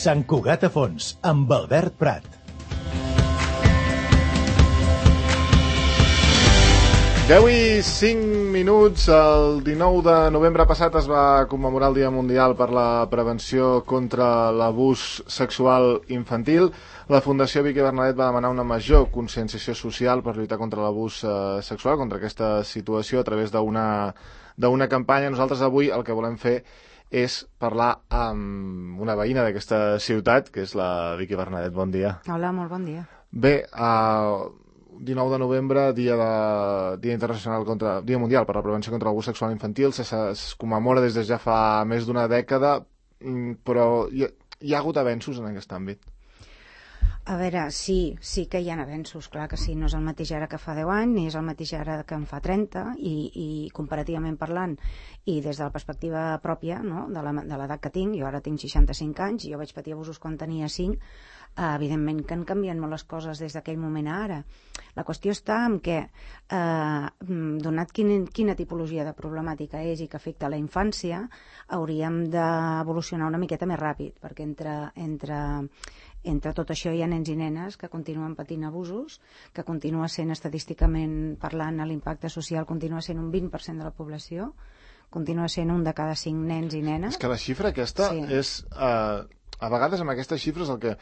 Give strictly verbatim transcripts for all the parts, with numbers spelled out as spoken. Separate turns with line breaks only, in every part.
Sant Cugat a Fons, amb Albert Prat.
deu i cinc minuts, el dinou de novembre passat es va commemorar el Dia Mundial per la Prevenció contra l'Abús Sexual Infantil. La Fundació Vicky Bernadet va demanar una major conscienciació social per lluitar contra l'abús eh, sexual, contra aquesta situació, a través d'una d'una campanya. Nosaltres avui el que volem fer és parlar amb una veïna d'aquesta ciutat, que és la Vicky Bernadet. Bon dia.
Hola, molt bon dia.
Bé, uh, dinou de novembre, dia, de, dia internacional contra, dia mundial per la prevenció contra l'abús sexual infantil, se, es commemora des de ja fa més d'una dècada, però hi ha, hi ha hagut avenços en aquest àmbit?
A veure, sí, sí que hi ha avenços, clar que sí, no és el mateix ara que fa deu anys, ni és el mateix ara que en fa trenta, i, i comparativament parlant, i des de la perspectiva pròpia, no?, de l'edat que tinc, jo ara tinc seixanta-cinc anys, jo vaig patir abusos quan tenia cinc, eh, evidentment que han canviat molt les coses des d'aquell moment a ara. La qüestió està en què, eh, donat quin, quina tipologia de problemàtica és i que afecta la infància, hauríem d'evolucionar una miqueta més ràpid, perquè entre, entre, entre tot això hi ha nens i nenes que continuen patint abusos, que continua sent estadísticament parlant, l'impacte social continua sent un vint per cent de la població, continua sent un de cada cinc nens i nenes.
És que la xifra aquesta sí. és... Eh, a vegades amb aquestes xifres el que...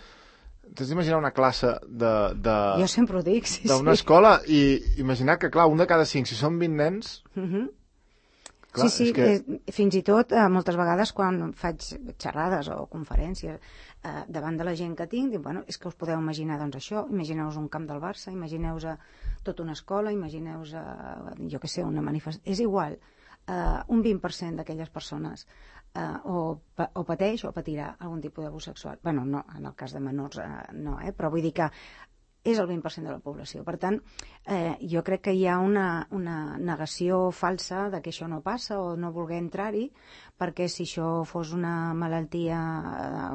T'has d'imaginar una classe de... de
jo sempre ho dic, sí,
d'una
sí.
escola i imaginar que, clar, un de cada cinc, si són vint nens...
Uh-huh.
Clar,
sí, sí,
que...
eh, fins i tot eh, moltes vegades quan faig xerrades o conferències eh, davant de la gent que tinc, dic, bueno, és que us podeu imaginar doncs això, imagineu-vos un camp del Barça, imagineu-vos tota una escola, imagineu-vos, eh, jo què sé, una manifestació, és igual, eh, un vint per cent d'aquelles persones eh, o, o pateix o patirà algun tipus d'abús sexual. Bueno, no, en el cas de menors eh, no, eh, però vull dir que és el vint per cent de la població. Per tant, eh, jo crec que hi ha una, una negació falsa de que això no passa o no voler entrar-hi, perquè si això fos una malaltia,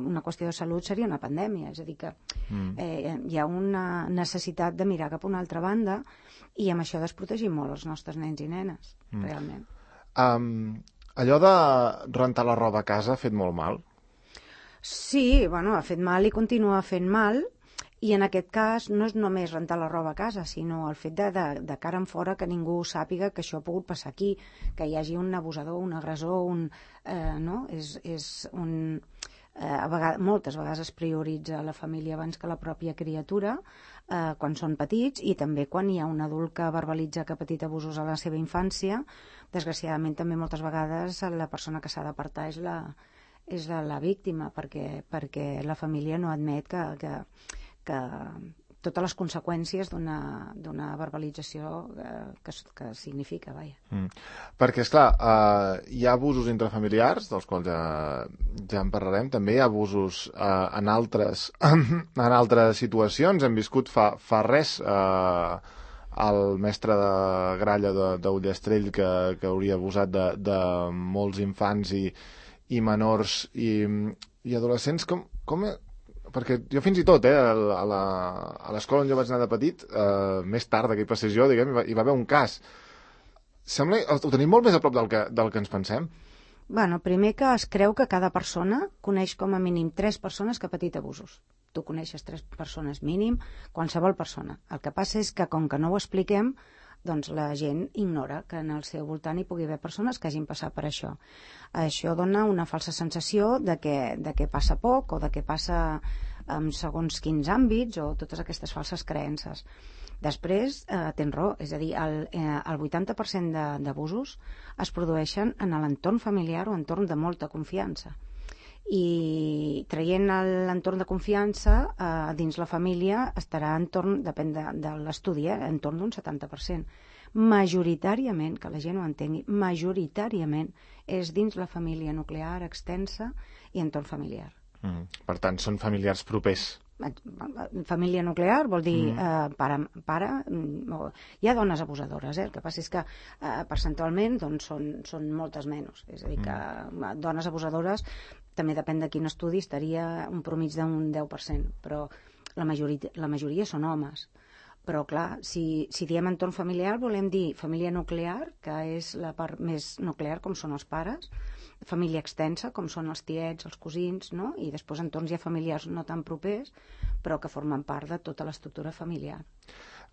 una qüestió de salut, seria una pandèmia. És a dir, que eh, hi ha una necessitat de mirar cap a una altra banda i amb això desprotegir molt els nostres nens i nenes, mm. realment.
Um, allò de rentar la roba a casa ha fet molt mal?
Sí, bueno, ha fet mal i continua fent mal. I en aquest cas no és només rentar la roba a casa, sinó el fet de, de, de cara en fora que ningú sàpiga que això ha pogut passar aquí, que hi hagi un abusador, un agressor, un, eh, no? És, és un, eh, a vegades, moltes vegades es prioritza la família abans que la pròpia criatura eh, quan són petits, i també quan hi ha un adult que verbalitza que ha patit abusos a la seva infància. Desgraciadament també moltes vegades la persona que s'ha d'apartar és la, és la, la víctima, perquè, perquè la família no admet que... que que totes les conseqüències d'una verbalització que, que significa, vaja. Mm.
Perquè, esclar, eh, hi ha abusos intrafamiliars, dels quals ja, ja en parlarem, també hi ha abusos eh, en, altres, en altres situacions. Hem viscut fa, fa res eh, el mestre de gralla d'Ullastrell que, que hauria abusat de, de molts infants i, i menors i, i adolescents. Com... com perquè jo fins i tot, eh, a l'escola on jo vaig anar de petit, eh, més tard que hi passés jo, diguem, hi va, hi va haver un cas. Sembla, ho tenim molt més a prop del que, del que ens pensem.
Bueno, primer que es creu que cada persona coneix com a mínim tres persones que ha patit abusos. Tu coneixes tres persones mínim, qualsevol persona. El que passa és que, com que no ho expliquem, doncs la gent ignora que en el seu voltant hi pugui haver persones que hagin passat per això. Això dona una falsa sensació de que, de que passa poc o de que passa en segons quins àmbits o totes aquestes falses creences. Després, eh, tens raó, és a dir, el, eh, el vuitanta per cent d'abusos es produeixen en l'entorn familiar o entorn de molta confiança. I traient l'entorn de confiança eh, dins la família estarà entorn, depèn de, de l'estudi, eh, entorn d'un setanta per cent. Majoritàriament, que la gent ho entengui, majoritàriament és dins la família nuclear extensa i entorn familiar.
Mm. Per tant, són familiars propers.
Família nuclear vol dir mm. eh, pare, pare, hi ha dones abusadores, eh? El que passa és que eh, percentualment doncs, són, són moltes menys, és a dir que mm. dones abusadores també depèn de quin estudi estaria un promig d'un deu per cent, però la majoria, la majoria són homes. Però, clar, si, si diem entorn familiar, volem dir família nuclear, que és la part més nuclear, com són els pares, família extensa, com són els tiets, els cosins, no? I després entorns ja familiars no tan propers, però que formen part de tota l'estructura familiar.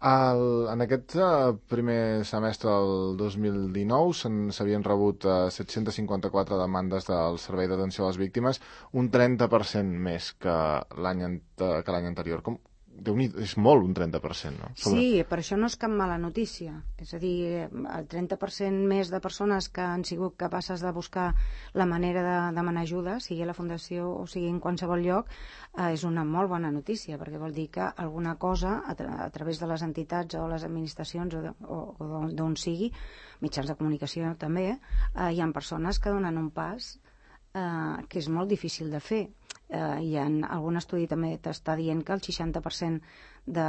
El, en aquest uh, primer semestre del dos mil dinou s'havien rebut uh, set-cents cinquanta-quatre demandes del Servei d'Atenció a les Víctimes, un trenta per cent més que l'any que l'any anterior. Com, Déu-n'hi-do, és molt, un trenta per cent, no? Sobre...
Sí, per això no és cap mala notícia. És a dir, el trenta per cent més de persones que han sigut capaces de buscar la manera de demanar ajuda, sigui a la Fundació o sigui en qualsevol lloc, eh, és una molt bona notícia, perquè vol dir que alguna cosa, a, tra a través de les entitats o les administracions o, de, o, o d'on sigui, mitjans de comunicació també, eh, hi ha persones que donen un pas eh, que és molt difícil de fer. Eh, hi ha algun estudi també t'està dient que el seixanta per cent de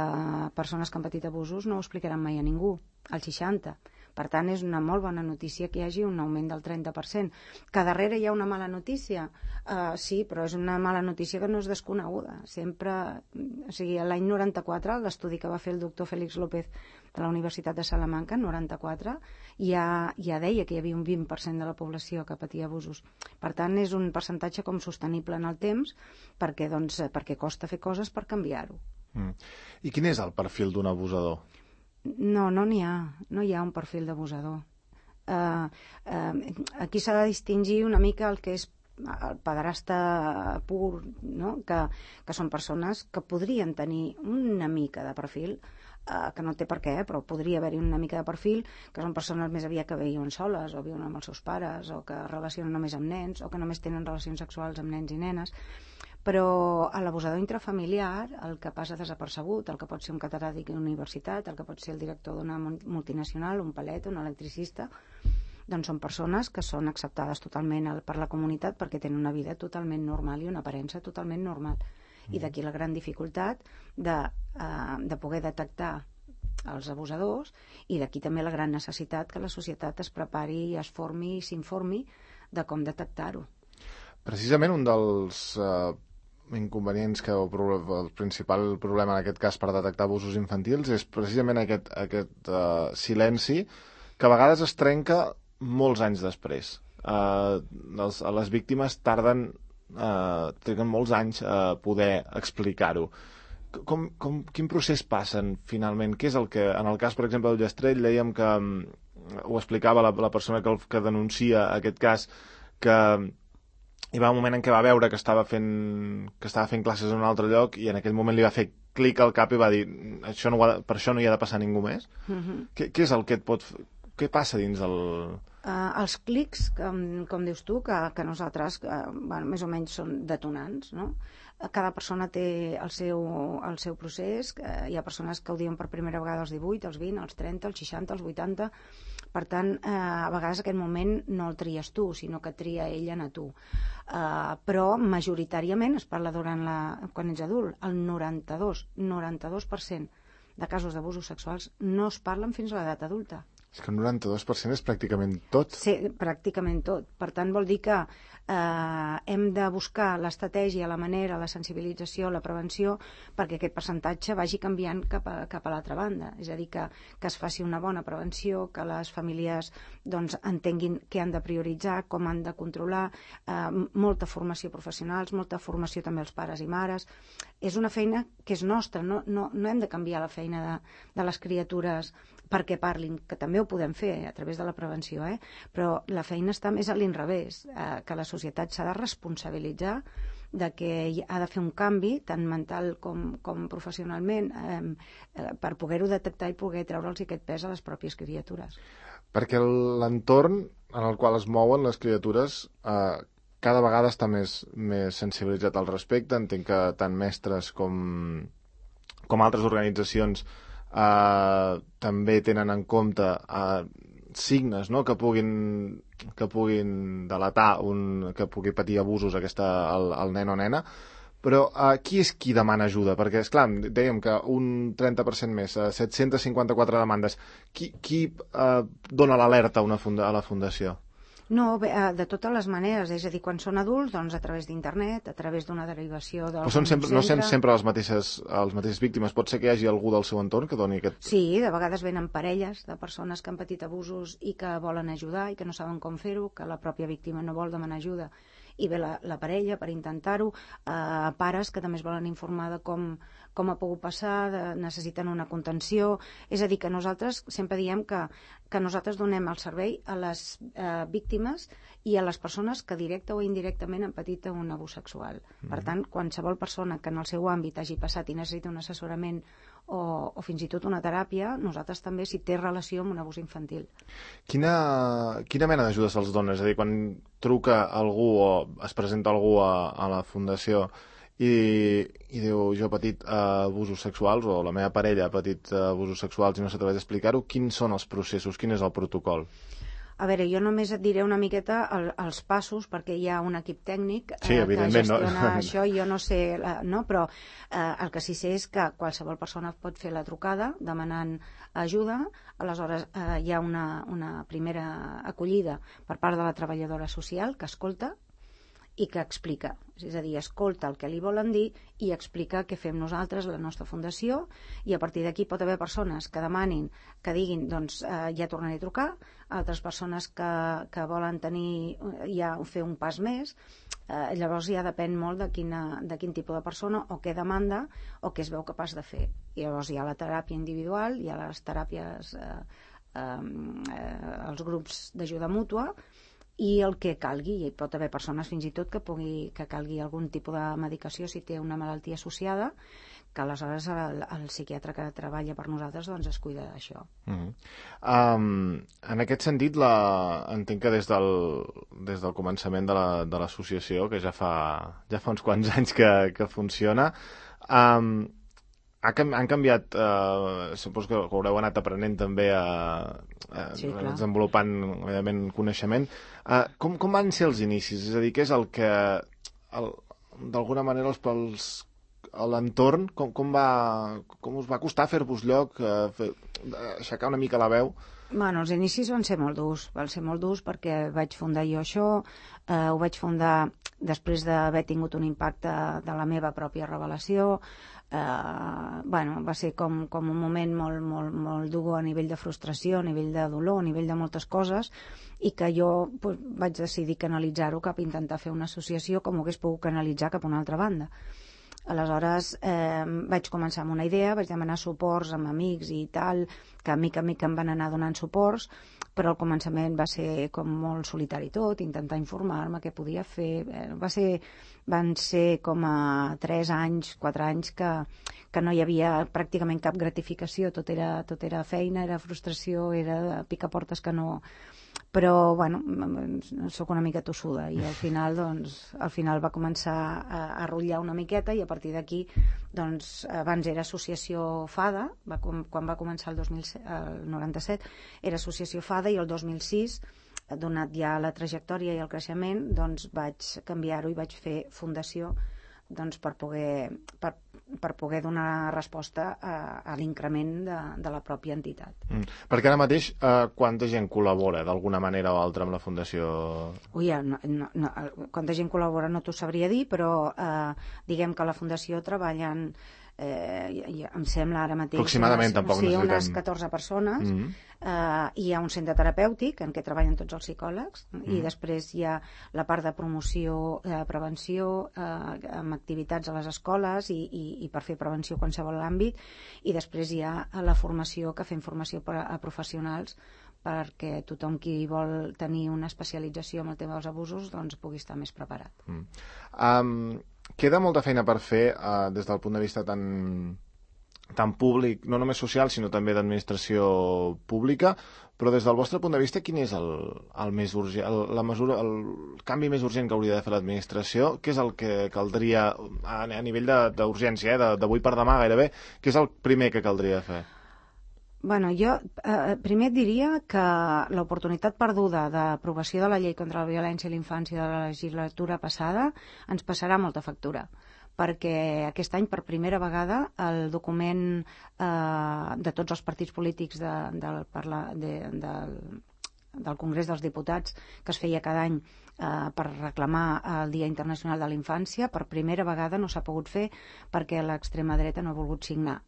persones que han patit abusos no ho explicaran mai a ningú, el seixanta. Per tant, és una molt bona notícia que hi hagi un augment del trenta per cent. Que darrere hi ha una mala notícia? Uh, sí, però és una mala notícia que no és desconeguda. Sempre, o sigui, l'any noranta-quatre, l'estudi que va fer el doctor Félix López de la Universitat de Salamanca, noranta-quatre, ja, ja deia que hi havia un vint per cent de la població que patia abusos. Per tant, és un percentatge com sostenible en el temps, perquè, doncs, perquè costa fer coses per canviar-ho.
Mm. I quin és el perfil d'un abusador?
No, no n'hi ha. No hi ha un perfil d'abusador. Uh, uh, aquí s'ha de distingir una mica el que és el pederasta pur, no? que, que són persones que podrien tenir una mica de perfil, uh, que no té per què, però podria haver-hi una mica de perfil, que són persones més aviat que viuen soles, o viuen amb els seus pares, o que relacionen només amb nens, o que només tenen relacions sexuals amb nens i nenes. Però a l'abusador intrafamiliar, el que passa desapercebut, el que pot ser un catedràtic d'universitat, el que pot ser el director d'una multinacional, un palet, un electricista, doncs són persones que són acceptades totalment per la comunitat perquè tenen una vida totalment normal i una aparença totalment normal. I d'aquí la gran dificultat de, uh, de poder detectar els abusadors, i d'aquí també la gran necessitat que la societat es prepari, es formi i s'informi de com detectar-ho.
Precisament un dels uh, inconvenients que o el principal problema en aquest cas per detectar abusos infantils és precisament aquest, aquest uh, silenci que a vegades es trenca molts anys després. Uh, els, les víctimes tarden uh, triguen molts anys a poder explicar-ho. Com, com, quin procés passen finalment? Què és el que, en el cas, per exemple, del Llastrell, dèiem que um, ho explicava la, la persona que, que denuncia aquest cas, que hi va un moment en què va veure que estava fent, que estava fent classes en un altre lloc i en aquell moment li va fer clic al cap i va dir això no ha de, per això no hi ha de passar ningú més. Uh-huh. Què, què és el que et pot... Què passa dins el...
Uh, els clics, com, com dius tu, que, que nosaltres, uh, bueno, més o menys són detonants, no? Cada persona té el seu, el seu procés. Uh, hi ha persones que ho diuen per primera vegada als divuit, als vint, als trenta, als seixanta, als vuitanta. Per tant, uh, a vegades aquest moment no el tries tu, sinó que tria ella a tu. Uh, però majoritàriament es parla durant la, quan ets adult. El noranta-dos, noranta-dos per cent de casos d'abusos sexuals no es parlen fins a l'edat adulta.
És que el noranta-dos per cent és pràcticament tot.
Sí, pràcticament tot. Per tant, vol dir que eh, hem de buscar l'estratègia, la manera, la sensibilització, la prevenció, perquè aquest percentatge vagi canviant cap a, cap a l'altra banda. És a dir, que, que es faci una bona prevenció, que les famílies doncs, entenguin què han de prioritzar, com han de controlar, eh, molta formació professionals, molta formació també als pares i mares. És una feina que és nostra, no, no, no hem de canviar la feina de, de les criatures perquè parlin, que també ho podem fer a través de la prevenció, eh? Però la feina està més a l'inrevés, eh, que la societat s'ha de responsabilitzar de que ha de fer un canvi, tant mental com, com professionalment, eh, eh, per poder-ho detectar i poder treure'ls aquest pes a les pròpies criatures.
Perquè l'entorn en el qual es mouen les criatures eh, cada vegada està més, més sensibilitzat al respecte. Entenc que tant mestres com, com altres organitzacions Uh, també tenen en compte uh, signes, no?, que puguin que puguin delatar un, que pugui patir abusos aquesta, el, el nen o nena, però uh, qui és qui demana ajuda? Perquè, esclar, dèiem que un trenta per cent més, uh, set-cents cinquanta-quatre demandes. Qui, qui uh, dona l'alerta a, una funda, a la fundació?
No, bé, eh, de totes les maneres, és a dir, quan són adults, doncs a través d'internet, a través d'una derivació d'algun
Però són sempre, no
centre...
són sempre les mateixes, les mateixes víctimes, pot ser que hi hagi algú del seu entorn que doni aquest...
Sí, de vegades venen parelles de persones que han patit abusos i que volen ajudar i que no saben com fer-ho, que la pròpia víctima no vol demanar ajuda i ve la, la parella per intentar-ho, eh, pares que també es volen informar de com, com ha pogut passar, de, necessiten una contenció, és a dir, que nosaltres sempre diem que, que nosaltres donem el servei a les eh, víctimes i a les persones que directe o indirectament han patit un abús sexual. Mm. Per tant, qualsevol persona que en el seu àmbit hagi passat i necessita un assessorament o, o fins i tot una teràpia, nosaltres també, si té relació amb un abús infantil.
Quina, quina mena d'ajuda se'ls dona? És a dir, quan truca algú o es presenta algú a, a la fundació i, i diu, jo he patit uh, abusos sexuals o la meva parella ha patit uh, abusos sexuals i no s'atreveix a explicar-ho, quins són els processos, quin és el protocol?
A veure, jo només et diré una miqueta el, els passos, perquè hi ha un equip tècnic eh,
sí,
que gestiona
no?
això, i jo no sé, eh, no? Però eh, el que sí sé és que qualsevol persona pot fer la trucada demanant ajuda, aleshores eh, hi ha una, una primera acollida per part de la treballadora social que escolta i que explica, és a dir, escolta el que li volen dir i explica què fem nosaltres, la nostra fundació, i a partir d'aquí pot haver persones que demanin, que diguin, doncs eh, ja tornaré a trucar, altres persones que, que volen tenir, ja fer un pas més, eh, llavors ja depèn molt de, quina, de quin tipus de persona o què demanda o què es veu capaç de fer. I llavors hi ha la teràpia individual, hi ha les teràpies, eh, eh, els grups d'ajuda mútua, i el que calgui, i pot haver persones fins i tot que, pugui, que calgui algun tipus de medicació si té una malaltia associada, que aleshores el, el psiquiatre que treballa per nosaltres doncs es cuida d'això.
Uh-huh. um, en aquest sentit, la, entenc que des del, des del començament de l'associació, la, que ja fa, ja fa uns quants anys que, que funciona, um, ha, han canviat, eh, suposo que haureu anat aprenent també a, a
sí,
desenvolupant evidentment coneixement. Eh, com, com van ser els inicis? És a dir, què és el que d'alguna manera els, els, l'entorn, com, com, va, com us va costar fer-vos lloc, eh, fer, aixecar una mica la veu?
Bueno, els inicis van ser molt durs, van ser molt durs perquè vaig fundar jo això, eh, ho vaig fundar després d'haver tingut un impacte de la meva pròpia revelació. Uh, bueno, va ser com, com un moment molt, molt, molt dur a nivell de frustració, a nivell de dolor, a nivell de moltes coses, i que jo pues, vaig decidir canalitzar-ho cap a intentar fer una associació com ho hagués pogut canalitzar cap a una altra banda. Aleshores eh, vaig començar amb una idea, vaig demanar suports amb amics i tal, que a mica a mica em van anar donant suports, però al començament va ser com molt solitari tot, intentar informar-me què podia fer. Eh, va ser, van ser com a tres anys, quatre anys que, que no hi havia pràcticament cap gratificació, tot era, tot era feina, era frustració, era picaportes que no... Però, bueno, sóc una mica tossuda i al final, doncs, al final va començar a, a rotllar una miqueta i a partir d'aquí, doncs, abans era Associació FADA, va, quan va començar el, dos mil set, el noranta-set, era Associació FADA i el dos mil sis, donat ja la trajectòria i el creixement, doncs vaig canviar-ho i vaig fer Fundació, doncs per poder, per, per poder donar resposta a, a l'increment de, de la pròpia entitat.
Mm. Perquè ara mateix, eh, quanta gent col·labora d'alguna manera o altra amb la Fundació?
Ui, no, no, no, quanta gent col·labora no t'ho sabria dir, però eh, diguem que a la Fundació treballen, eh, em sembla ara mateix...
Aproximadament,
unes,
tampoc
sí,
necessitem...
unes catorze persones.
Mm-hmm.
Uh, hi ha un centre terapèutic en què treballen tots els psicòlegs mm. i després hi ha la part de promoció, eh, prevenció, eh, amb activitats a les escoles i, i, i per fer prevenció a qualsevol àmbit, i després hi ha la formació, que fem formació per a professionals perquè tothom qui vol tenir una especialització en el tema dels abusos doncs pugui estar més preparat.
Mm. Um, queda molta feina per fer uh, des del punt de vista tan... tant públic, no només social, sinó també d'administració pública, però des del vostre punt de vista, quin és el, el més urgent, el, la mesura, el canvi més urgent que hauria de fer l'administració? Què és el que caldria, a, a nivell d'urgència, eh, d'avui per demà gairebé, què és el primer que caldria fer?
Bueno, jo eh, primer et diria que l'oportunitat perduda d'aprovació de la llei contra la violència a la infància de la legislatura passada ens passarà molta factura, perquè aquest any, per primera vegada, el document eh, de tots els partits polítics de, del, parla, de, del, del Congrés dels Diputats, que es feia cada any eh, per reclamar el Dia Internacional de la Infància. Per primera vegada no s'ha pogut fer perquè l'extrema dreta no ha volgut signar.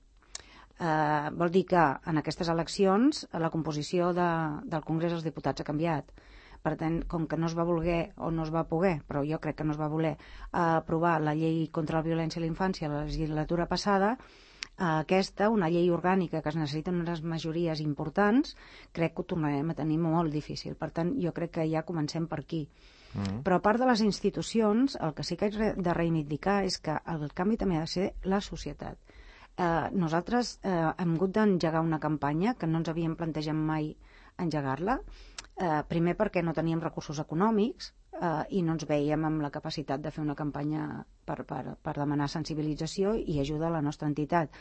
Eh, vol dir que en aquestes eleccions la composició de, del Congrés dels Diputats ha canviat. Per tant, com que no es va voler o no es va poder, però jo crec que no es va voler eh, aprovar la llei contra la violència a la infància a la legislatura passada, eh, aquesta, una llei orgànica que es necessiten unes majories importants, crec que ho tornarem a tenir molt difícil. Per tant, jo crec que ja comencem per aquí. Mm. Però a part de les institucions, el que sí que haig de reivindicar és que el canvi també ha de ser la societat. Eh, nosaltres eh, hem hagut d'engegar una campanya que no ens havíem plantejat mai engegar-la, eh, primer perquè no teníem recursos econòmics eh, i no ens veiem amb la capacitat de fer una campanya per, per, per demanar sensibilització i ajuda a la nostra entitat.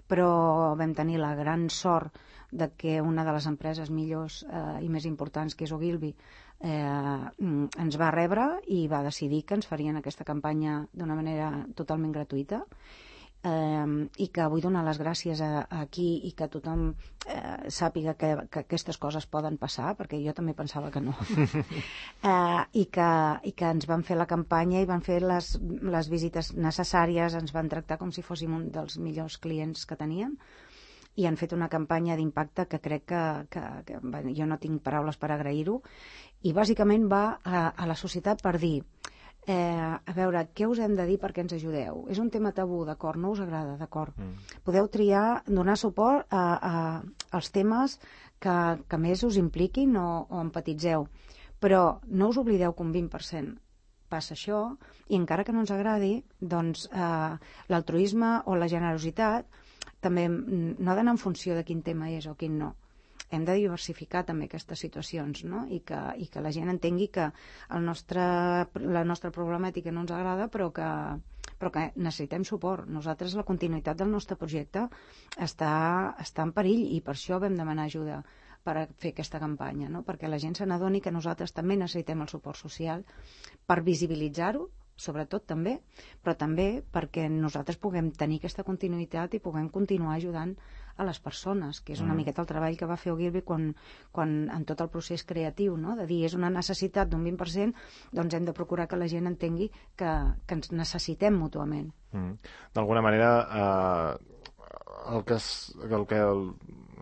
Però vam tenir la gran sort de que una de les empreses millors eh, i més importants, que és Ogilvy, eh, ens va rebre i va decidir que ens farien aquesta campanya d'una manera totalment gratuïta. Eh, i que vull donar les gràcies a, a aquí i que tothom eh, sàpiga que, que aquestes coses poden passar, perquè jo també pensava que no. eh, i, que, i que ens van fer la campanya i van fer les, les visites necessàries, ens van tractar com si fóssim un dels millors clients que teníem i han fet una campanya d'impacte que crec que, que, que bé, jo no tinc paraules per agrair-ho, i bàsicament va a, a la societat per dir Eh, a veure, què us hem de dir perquè ens ajudeu? És un tema tabú, d'acord? No us agrada, d'acord? Mm. Podeu triar, donar suport a, a, als temes que, que més us impliquin o, o empatitzeu. Però no us oblideu que un vint per cent passa això, i encara que no ens agradi, doncs eh, l'altruisme o la generositat també no ha d'anar en funció de quin tema és o quin no. Hem de diversificar també aquestes situacions, no? I que, i que la gent entengui que el nostre, la nostra problemàtica no ens agrada, però que, però que necessitem suport. Nosaltres, la continuïtat del nostre projecte està, està en perill i per això vam demanar ajuda per fer aquesta campanya, no? Perquè la gent se n'adoni que nosaltres també necessitem el suport social per visibilitzar-ho, sobretot també, però també perquè nosaltres puguem tenir aquesta continuïtat i puguem continuar ajudant a les persones, que és una mm. miqueta el treball que va fer Ogilvy quan, quan en tot el procés creatiu, no? De dir, és una necessitat d'un vint per cent, doncs hem de procurar que la gent entengui que, que ens necessitem mútuament.
Mm. D'alguna manera, eh, el que, és, el, que el,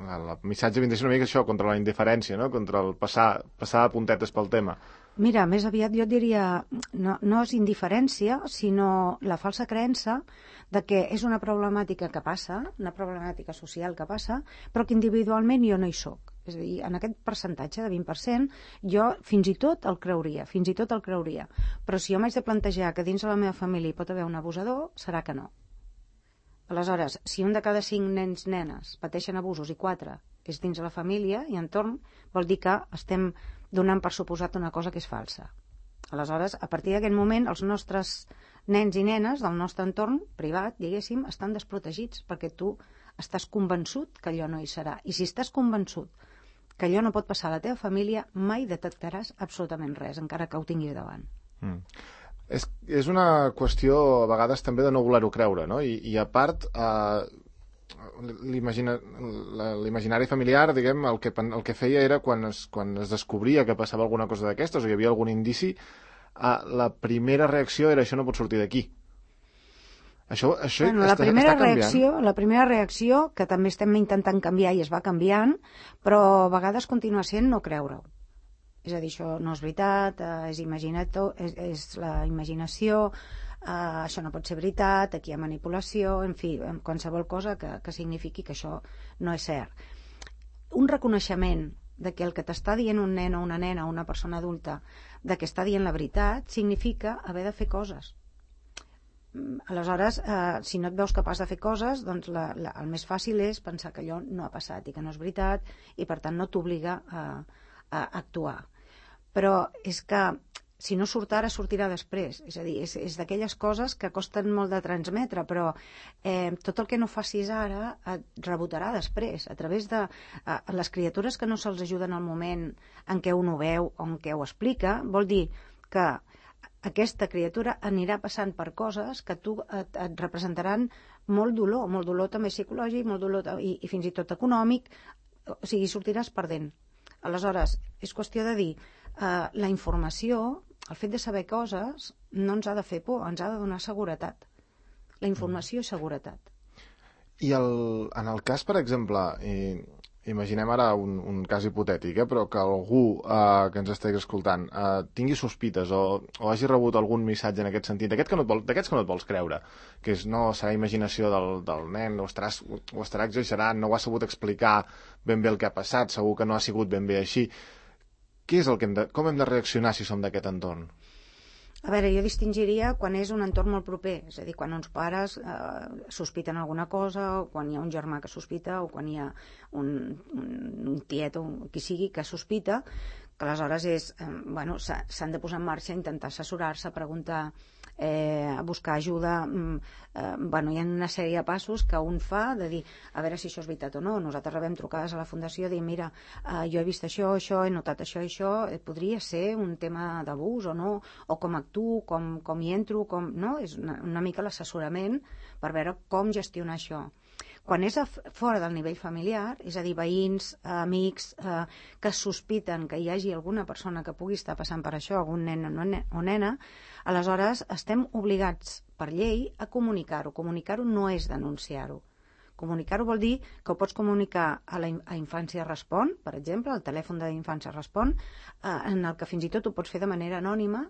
el missatge vint és una mica això, contra la indiferència, no? Contra el passar, passar a puntetes pel tema.
Mira, més aviat jo diria, no, no és indiferència, sinó la falsa creença de que és una problemàtica que passa, una problemàtica social que passa, però que individualment jo no hi soc. És a dir, en aquest percentatge de vint per cent jo fins i tot el creuria, fins i tot el creuria. Però si jo m'haig de plantejar que dins de la meva família hi pot haver un abusador, serà que no. Aleshores, si un de cada cinc nens nenes pateixen abusos i quatre és dins de la família i entorn, vol dir que estem donant per suposat una cosa que és falsa. Aleshores, a partir d'aquest moment, els nostres nens i nenes del nostre entorn privat, diguéssim, estan desprotegits perquè tu estàs convençut que allò no hi serà. I si estàs convençut que allò no pot passar a la teva família, mai detectaràs absolutament res, encara que ho tinguis davant.
Mm. És, és una qüestió, a vegades, també de no voler-ho creure, no? I, i a part... Eh... l'imaginari familiar, diguem, el que, el que feia era quan es, quan es descobria que passava alguna cosa d'aquestes o hi havia algun indici, eh, la primera reacció era això no pot sortir d'aquí. Això, això
bueno,
està,
la primera
està canviant.
reacció, la primera reacció, que també estem intentant canviar i es va canviant, però a vegades continua sent no creure-ho. És a dir, això no és veritat, és, és, és la imaginació, Uh, això no pot ser veritat, aquí hi ha manipulació, en fi, qualsevol cosa que, que signifiqui que això no és cert. Un reconeixement de que el que t'està dient un nen o una nena o una persona adulta, de que està dient la veritat, significa haver de fer coses. Aleshores, uh, si no et veus capaç de fer coses, doncs la, la, el més fàcil és pensar que allò no ha passat i que no és veritat i per tant no t'obliga a, a actuar. Però és que si no surt ara, sortirà després. És a dir, és, és d'aquelles coses que costen molt de transmetre, però eh, tot el que no facis ara et rebotarà després, a través de eh, les criatures que no se'ls ajuda en el moment en què un ho veu o en què ho explica, vol dir que aquesta criatura anirà passant per coses que tu et, et representaran molt dolor, molt dolor també psicològic, molt dolor i, i fins i tot econòmic, o sigui, sortiràs perdent. Aleshores, és qüestió de dir, eh, la informació, el fet de saber coses, no ens ha de fer por, ens ha de donar seguretat. La informació és seguretat.
I el, en el cas, per exemple, eh, imaginem ara un, un cas hipotètic, eh, però que algú eh, que ens estigui escoltant eh, tingui sospites o, o hagi rebut algun missatge en aquest sentit, d'aquests que, no que no et vols creure, que és no serà imaginació del, del nen, o estarà, o estarà exagerant, no ho ha sabut explicar ben bé el que ha passat, segur que no ha sigut ben bé així. Què és el que hem de, com hem de reaccionar si som d'aquest entorn?
A veure, jo distingiria quan és un entorn molt proper, és a dir, quan uns pares eh, sospiten alguna cosa, o quan hi ha un germà que sospita, o quan hi ha un, un, un tiet o qui sigui que sospita, que aleshores és, eh, bueno, s'han de posar en marxa, intentar assessorar-se, preguntar, eh, buscar ajuda. Eh, bueno, hi ha una sèrie de passos que un fa de dir, a veure si això és veritat o no. Nosaltres rebem trucades a la Fundació de dir, mira, eh, jo he vist això, això, he notat això i això, eh, podria ser un tema d'abús o no, o com actuo, com, com hi entro, com, no? És una, una mica l'assessorament per veure com gestionar això. Quan és a fora del nivell familiar, és a dir, veïns, amics, eh, que sospiten que hi hagi alguna persona que pugui estar passant per això, algun nen o nena, aleshores estem obligats per llei a comunicar-ho. Comunicar-ho no és denunciar-ho. Comunicar-ho vol dir que ho pots comunicar a la a Infància Respon, per exemple, al telèfon d'Infància Respon, eh, en el que fins i tot ho pots fer de manera anònima,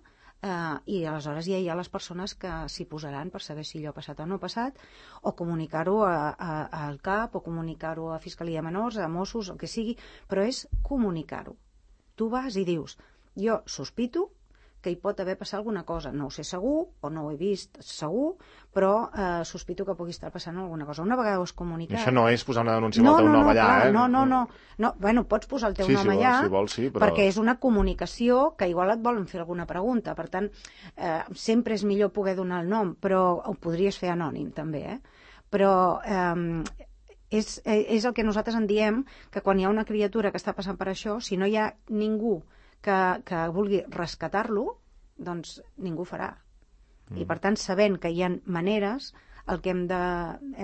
Uh, i aleshores ja hi ha les persones que s'hi posaran per saber si allò ha passat o no ha passat, o comunicar-ho al CAP, o comunicar-ho a Fiscalia de Menors, a Mossos, el que sigui, però és comunicar-ho. Tu vas i dius, jo sospito que hi pot haver passat alguna cosa, no ho sé segur, o no ho he vist segur, però eh, sospito que pugui estar passant alguna cosa. Una vegada ho has comunicat...
Això no és posar una denúncia
no,
amb el teu
no,
nom
no,
allà,
clar,
eh?
No, no, no, no. Bueno, pots posar el teu
sí,
nom
si
allà,
vol, si vol, sí, però...
perquè és una comunicació que igual et volen fer alguna pregunta. Per tant, eh, sempre és millor poder donar el nom, però ho podries fer anònim, també, eh? Però... Eh, és, és el que nosaltres en diem, que quan hi ha una criatura que està passant per això, si no hi ha ningú que, que vulgui rescatar-lo, doncs ningú farà. Mm. I per tant, sabent que hi ha maneres, el que hem de,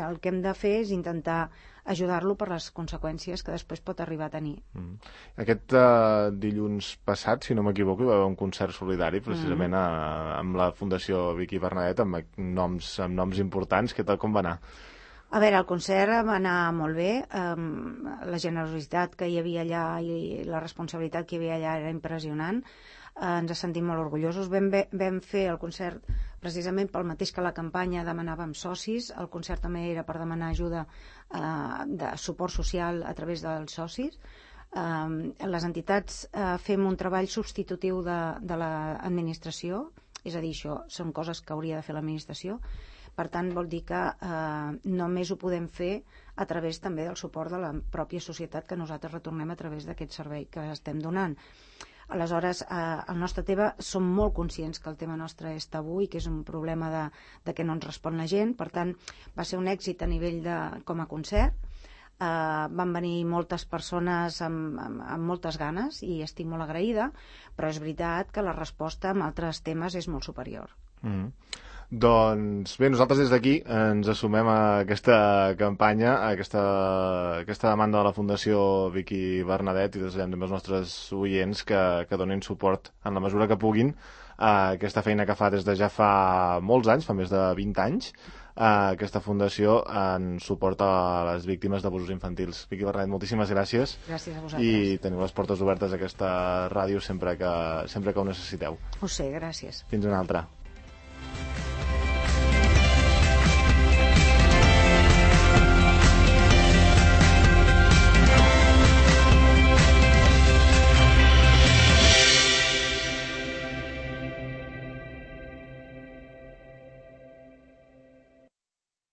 el que hem de fer és intentar ajudar-lo per les conseqüències que després pot arribar a tenir.
Mm. Aquest uh, dilluns passat, si no m'equivoco, hi va haver un concert solidari precisament mm. a, amb la Fundació Vicky Bernadet, amb noms, amb noms importants. Què tal, com va anar?
A veure, el concert va anar molt bé, um, la generositat que hi havia allà i la responsabilitat que hi havia allà era impressionant, uh, ens sentim molt orgullosos. Vam, vam fer el concert precisament pel mateix que la campanya demanàvem socis, el concert també era per demanar ajuda uh, de suport social a través dels socis. Uh, les entitats uh, fem un treball substitutiu de, de l'administració, és a dir, això són coses que hauria de fer l'administració. Per tant, vol dir que eh, només ho podem fer a través també del suport de la pròpia societat que nosaltres retornem a través d'aquest servei que estem donant. Aleshores, eh, al nostre tema som molt conscients que el tema nostre és tabú i que és un problema de, de que no ens respon la gent. Per tant, va ser un èxit a nivell de, com a concert. Eh, van venir moltes persones amb, amb, amb moltes ganes i estic molt agraïda, però és veritat que la resposta en altres temes és molt superior.
Mm. Doncs bé, nosaltres des d'aquí ens assumem a aquesta campanya, a aquesta, a aquesta demanda de la Fundació Vicky Bernadet i desitgem també als nostres oients que, que donin suport en la mesura que puguin a aquesta feina que fa des de ja fa molts anys, fa més de vint anys, a aquesta fundació en suport a les víctimes d'abusos infantils. Vicky Bernadet, moltíssimes gràcies.
Gràcies a vosaltres.
I teniu les portes obertes a aquesta ràdio sempre que, sempre que ho necessiteu.
Ho sé, gràcies.
Fins una altra.